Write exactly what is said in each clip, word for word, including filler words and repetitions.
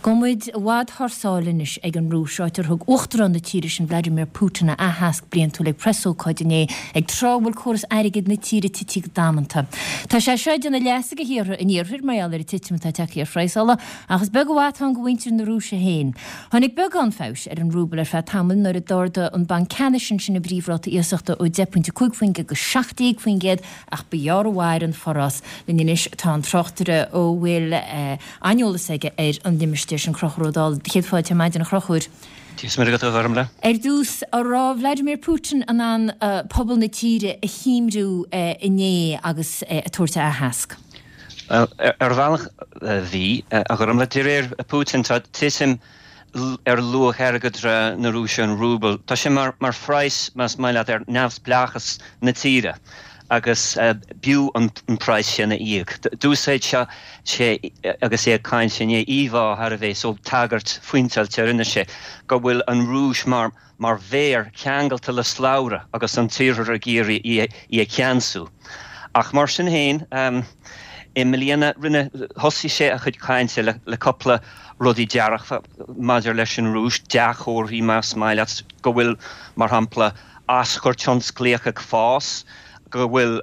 Gabhfaidh muid i bhfad thar sáile anois ag an Rúis, áit ar thug Uachtarán na tíre sin Vladimir Putin a aitheasc bliantúil ag preasócáid inné ag tráth a bhfuil córas airgid na tíre tite go damanta. Tá sé seo ag déanamh leasa do thíortha an iarthair mar gheall ar an titim atá tagtha ar phraghas ola, ach is beag an mhaith atá ann do mhuintir na Rúise féin. Tháinig beagán feabhais ar an rúbal ar feadh tamaill nuair a d'ardaigh an Banc Ceannais ansin a bpríomhráta iasachta ó deich pointe cúig faoin gcéad go seacht déag faoin gcéad ach ba ghearr a mhair an forás. Linn anois tá an tráchtaire a bhfuil an-eolas aige ar an limistéar sin, Conchúr Ó Dálaigh. Céad fáilte ar maidin, a Chonchúir. Dia is Muire agat, a Ghormfhlaith. Ar dtús, an raibh Vladimir Putin in ann pobal na tíre a shuaimhniú inné agus é ag tabhairt a aitheasc? Bhuel, ar bhealach bhí, a Ghormfhlaith. De réir Putin, tá titim ar luach airgeadra na Rúise, an rúbal. Tá sé mar phraghas, más maith leat, ar neamhspleáchas na tíre agus b'fhiú an praghas sin a íoc. D'úsáid sé agus é ag caint inné íomhá thar a bheith so tagairt phointeáilte a rinne sé go bhfuil an Rúis mar mar bhéar ceangailte le slabhra agus an tIarthar ag iarraidh í a cheansú. Ach mar sin féin, i mbliana rinne thosaigh sé a chuid cainte le le cúpla rudaí dearfacha maidir leis an Rúis, dea-chomharthaí más maith leat, go bhfuil, mar shampla, aschur tionsclaíoch ag fás, go bhfuil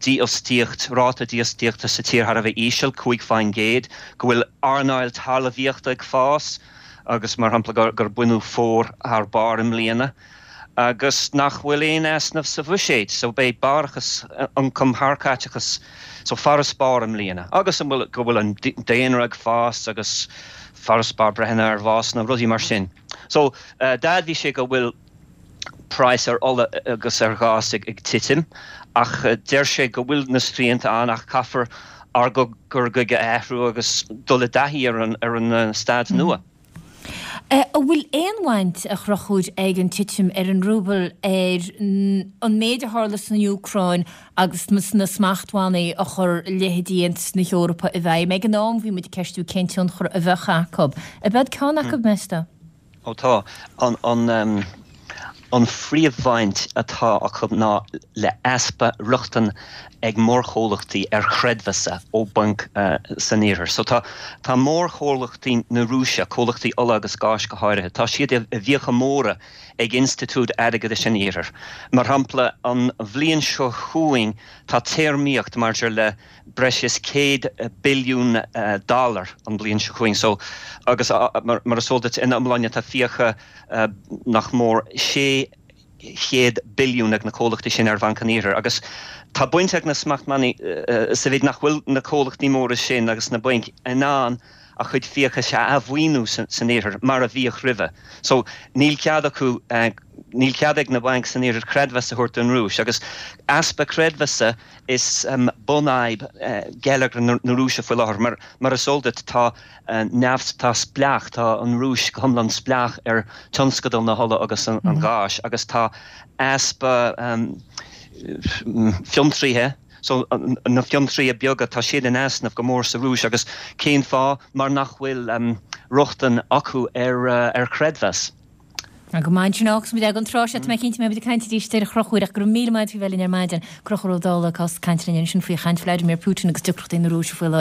dífhostaíocht, ráta dífhostaíochta sa tír thar a bheith íseal, cúig faoin gcéad, go bhfuil earnáil talmhaíochta ag fás agus, mar shampla, gur baineadh fómhar thar barr i mbliana agus nach bhfuil aon easnamh sa bhuiséad, so beidh barrachas ioncaim thar caiteachas, so farasbarr i mbliana agus an bhfuil, go bhfuil an daonra ag fás agus farasbarr breitheanna ar bhásanna, rudaí mar sin. So d'admhaigh sé go bhfuil praghas ar ola agus ar ghás ag titim ach deir sé go bhfuil na srianta ann ach caithfear ár gcur chuige a athrú agus dul i dtaithí ar an ar an staid nua. An bhfuil aon bhaint, a Chonchúir, ag an titim ar an rúbal ar an méid a tharla san Úcráin agus na smachtbhannaí a chuir leithéidí Aontas na hEorpa i bhfeidhm? Ag an am bhí muid ag ceistiú cén tionchar a bheadh acu. Ab ead ceann acu, meas tú? Ó tá. An An phríomhbhaint atá acu ná le easpa rochtain ag mórchomhlachtaí ar chreidmheasa ó bhainc san Iarthar. So tá tá mórchomhlachtaí na Rúise, comhlachtaí ola agus gáis go háirithe, tá siad i bhfiacha móra ag institiúid airgeadais an Iarthair. Mar shampla, an bhliain seo chugainn tá téarmaíocht maidir le breis is céad billiún dollar an bhliain seo chugainn. So agus mar is eol duit, ina iomláine tá fiacha nach mór sé chéad billiún ag na comhlachtaí sin ar Bhanc an Iarthair. Agus tá baint ag na smachtbhannaí sa mhéid nach bhfuil na comhlachtaí móra sin agus na bainc in ann a chuid fiachais a athmhaoiniú san Iarthar mar a bhíodh roimhe. So níl cead acu, níl cead ag na bainc san Iarthar creidmheas a thabhairt don Rúis. Agus easpa creidmheasa is bunfhadhb geilleagar na Rúise faoi láthair. Mar mar is eol duit tá neamh, tá spleách, tá an Rúis go hiomlán spleách ar tionscadal na hola agus an gháis agus tá easpa fiontraithe, so na fiontraithe beaga, tá siad in easnamh go mór sa Rúis agus cén fáth? Mar nach bhfuil rochtain acu ar ar chreidmheas. Go maith ansin agus muid ag an tráth seo, tá mé cinnte go mbeidh muid ag caint arís ar a Chonchúir ach go raibh míle maith agat faoi bheith linn ar maidin. Conchúr Ó Dálaigh ag caint linn ansin faoi chaint Vladimir Putin agus deacrachtaí na Rúise faoi láthair.